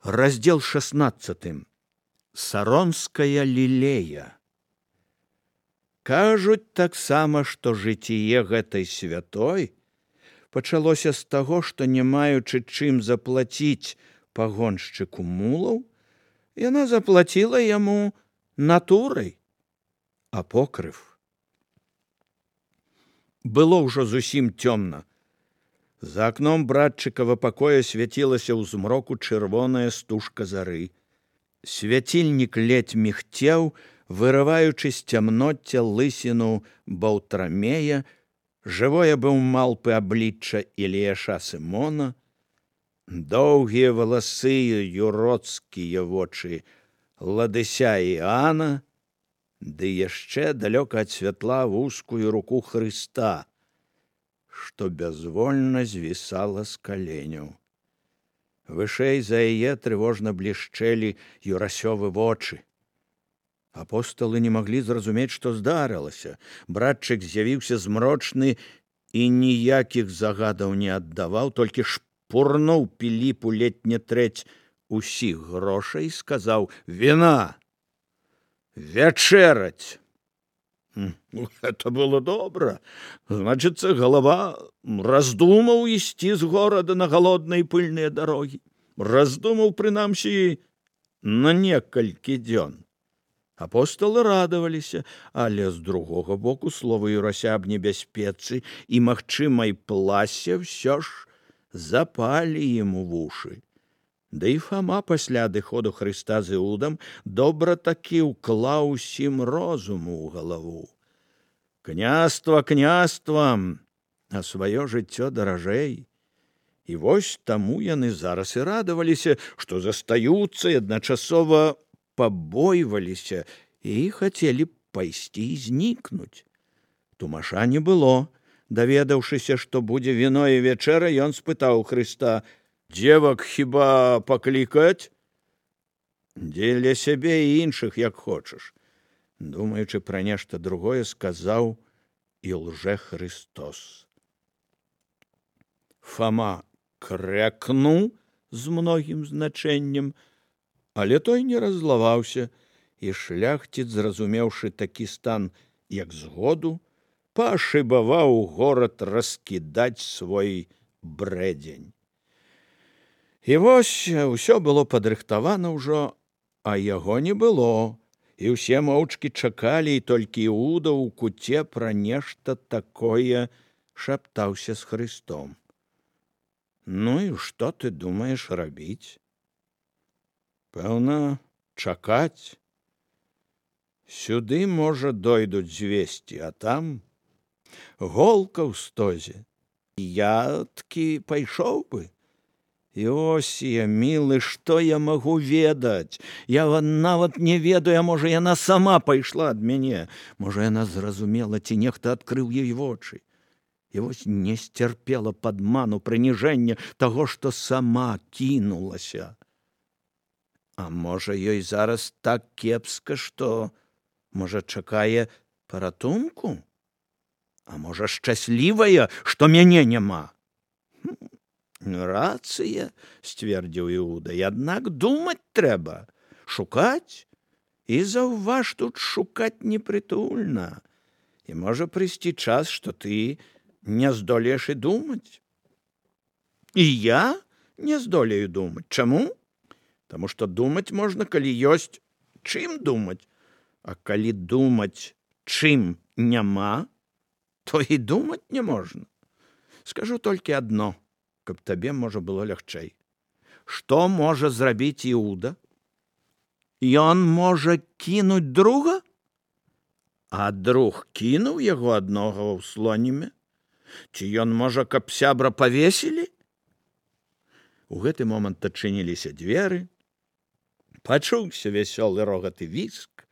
Раздел 16. Саронская лілея. Кажуць таксама, што жыццё гэтай святой пачалося з таго, што не маючы чым заплаціць пагоншчыку мулаў, яна заплаціла яму натурай, апокрыф. Было ўжо зусім цёмна. За акном братчыкава пакоя свяцілася ў змроку чырвоная стужка зары. Свяцільнік ледзь мігцеў, вырываючы з цямноцця лысіну Баўтрамея, жывое быў малпы аблічча Іліяша Сымона, доўгія валасы юродскія вочы Ладыся Іана, ды яшчэ далёка ад святла вузкую руку Хрыста, што бязвольна звісала з каленяў. Вышэй за яе трывожна блішчэлі юрасёвы вочы. Апосталы не маглі зразумець, што здарылася. Братчык з'явіўся змрочны і ніякіх загадаў не аддаваў, толькі шпурнуў Піліпу ледзь не трэць усіх грошай і сказаў: «Віна! Вячэраць!» Это было добра. Значыцца, галава раздумаў ісці з горада на галодныя пыльныя дарогі. Раздумаў, прынамсі, на некалькі дзён. Апосталы радаваліся, але з другога боку слова Юрася аб небяспецы і магчымай пласе ўсё ж запалі ім у вушы. Да і Фама пасля адыходу Хрыста з Іудам добра такі ўклаў усім розуму ў галаву. Княства княствам, а сваё жыццё даражэй. І вось таму яны зараз і радаваліся, што застаюцца і адначасова пабойваліся і хацелі пайсці і знікнуць. Тумаша не было. Даведаўшыся, што будзе віно і вячэра, ён спытаў Хрыста: «Дзевак хіба паклікаць?» «Дзеля сябе і іншых, як хочаш», думаючы пра нешта другое, сказаў і лжэхрыстос. Фама крякнуў з многім значэннем, але той не раззлаваўся, і шляхціц, зразумеўшы такі стан, як згоду, пашыбаваў горад раскідаць свой брэдзень. І вось усё было падрыхтавана ўжо, а яго не было, і ўсе моўчкі чакалі, і толькі Іуда ў куце пра нешта такое шаптаўся з Хрыстом. «Ну і што ты думаеш рабіць?» «Пэўна, чакаць. Сюды, можа, дойдуць звесці, а там голка ў стозе. Я ткі пайшоў бы. Іосія, мілы, што я магу ведаць? Я нават не ведаю, можа, яна сама пайшла ад мяне. Можа, яна зразумела, ці нехта адкрыў ёй вочы. І вось не сцярпела падману, прыніжэння таго, што сама кінулася. А можа, ёй зараз так кепска, што, можа, чакае паратунку? А можа, шчаслівая, што мяне няма?» «Рацыя», – сцвердзіў Іуда, – «аднак думаць трэба, шукаць. І заўваж, тут шукаць непрытульна. І можа прыйсці час, што ты не здолееш і думаць. І я не здолею думаць. Чаму? Таму што думаць можна, калі ёсць чым думаць. А калі думаць чым няма, то і думаць не можна. Скажу толькі адно, каб табе, можа, было лягчэй. Што можа зрабіць Іуда? Ён можа кінуць друга? А друг кінуў яго аднога ў слоніме? Ці ён можа, каб сябра павесілі? У гэты момант адчыніліся дзверы, пачуўся вясёлы рогат і віск,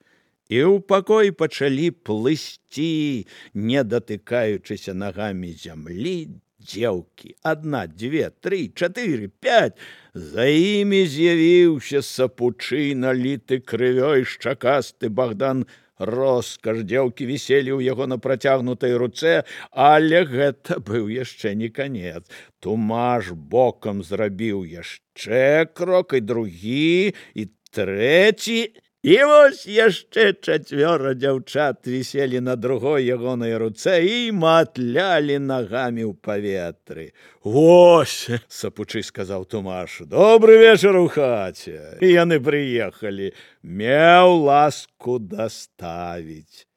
і ў пакой пачалі плысці, не датыкаючыся нагамі зямлі, дзеўкі. 1, 2, 3, 4, 5. За імі з'явіўся сапучы, наліты крывёй шчакасты Богдан роскаш. Дзеўкі віселі ў яго на працягнутай руцэ, але гэта быў яшчэ не канец. Тумаш бокам зрабіў яшчэ крок, і другі, і трэці. І вось яшчэ 4 дзяўчат віселі на другой ягонай руцэ і матлялі нагамі ў паветры. «Вось, — сапучы сказаў Тумаш, — добры вечар у хаце. І яны прыехалі. Меў ласку даставіць».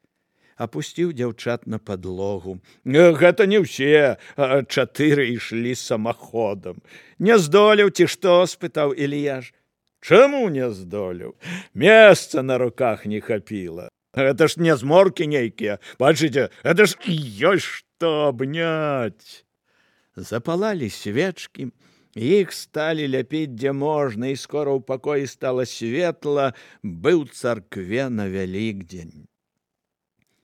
Апусціў дзяўчат на падлогу. «Гэта не ўсе, 4 ішлі самаходам. Не здолеў ці што?» — спытаў Ільяш. «Чаму не здолеў? Месца на руках не хапіла. Гэта ж не зморкі нейкія. Бачыце, гэта ж ёсць што абняць». Запалалі свечкі, іх сталі ляпіць дзе можна, і скора ў пакоі стала светла, быў царкве на Вялікдзень.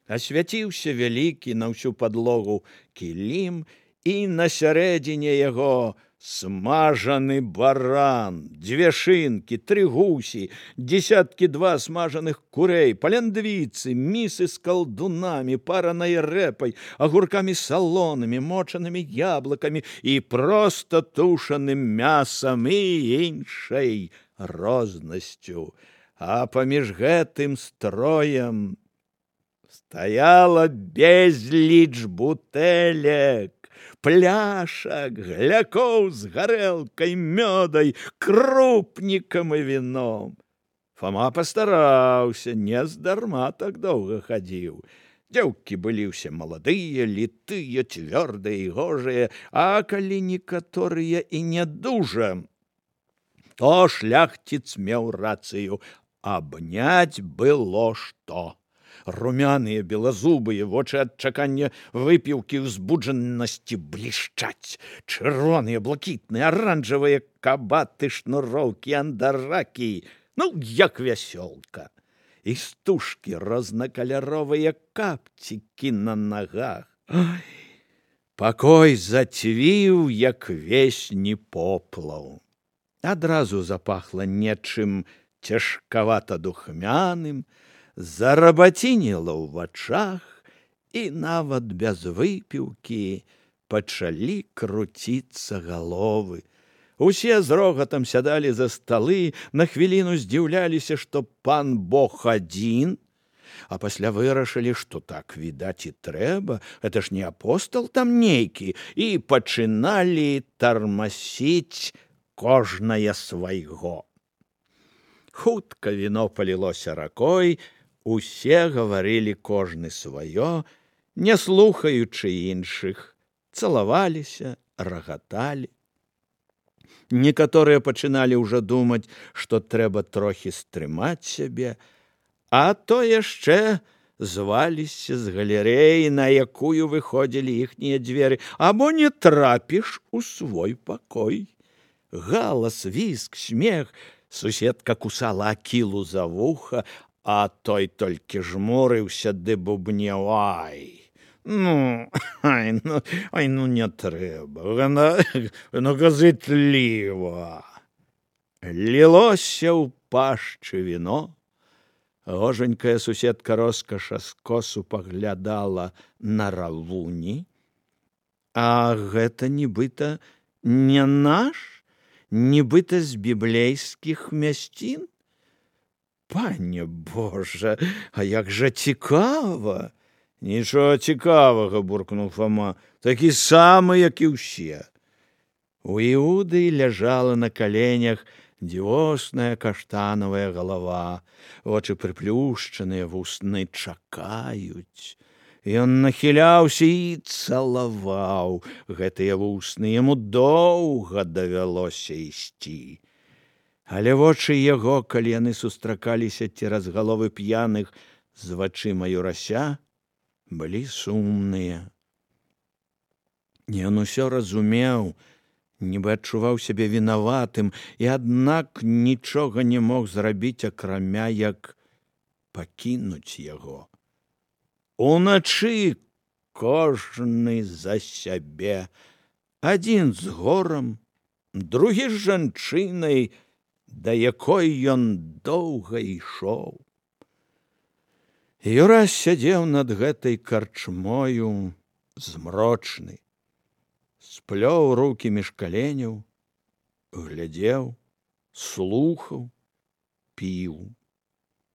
Асвяціўся вялікі на ўсю падлогу кілім, і на сярэдзіне яго смажаны баран, 2 шынкі, 3 гусі, 2 смажаных курэй, паляндвіцы, місы з калдунамі, паранай рэпай, агуркамі салонамі, мочанымі яблыкамі і проста тушаным мясам і іншай рознасцю. А паміж гэтым строем стаяла безліч бутэлек, пляшак, глякоў з гарэлкай, мёдай, крупнікам і віном. Фома пастараўся, не здарма так доўга хадзіў. Дзеўкі былі ўсе маладыя, літыя, цвёрдыя і гожыя, а калі некаторыя і не дужа, то шляхціц меў рацыю, абняць было што. Румяныя, белазубыя, вочы ад чакання выпіўкі ўзбуджанасці блішчаць. Чырвоныя, блакітныя, аранжавыя кабаты, шнуроўкі, андаракі. Ну, як вясёлка. І стужкі, рознакаляровыя капцікі на нагах. Ой, пакой зацвіў, як весні поплаў. Адразу запахла нечым цяжкавата-духмяным, зарабацініла ў вачах, і нават без выпіўкі пачалі круціцца галовы. Усе з рогатам сядалі за сталы, на хвіліну здзіўляліся, што пан Бог адзін, а пасля вырашылі, што так, відаць, і трэба, гэта ж не апостол там нейкі, і пачыналі тармасіць кожнае свайго. Хутка віно палілося ракой, усе гаварылі кожны сваё, не слухаючы іншых, цалаваліся, рагаталі. Некаторыя пачыналі ўжо думаць, што трэба трохі стрымаць сябе, а то яшчэ зваліся з галерэі, на якую выходзілі іхнія дзверы, або не трапіш у свой пакой. Галас, віск, смех, суседка кусала Акілу за вуха, а той толькі жмурыўся ды бубнеў: «Ай, ну не трэба, ну газытліва». Лілося ў пашчы віно. Гожанькая суседка роскаша скосу паглядала на равуні. А гэта нібыта не наш? Нібыта з біблейскіх мясцін? Пане Божа, а як жа цікава! Нічого цікавага, буркнув Фома, такі самы, як і ўсе. У Іуды ляжала на каленях дзівосная каштанавая галава, вочы прыплюшчаныя, вусны чакаюць. Ён нахіляўся і цалаваў гэтыя вусны, яму доўга давялося ісці. Але вочы яго, калі яны сустракаліся цераз галовы п'яных з вачыма Юрася, былі сумныя. Ён усё разумеў, нібы адчуваў сябе вінаватым, і аднак нічога не мог зрабіць, акрамя як пакінуць яго. Уначы кожны за сябе, адзін з горам, другі з жанчынай, да якой ён доўга ішоў. Юрась сядзеў над гэтай карчмою змрочны, сплёў рукі між каленяў, глядзеў, слухаў, піў.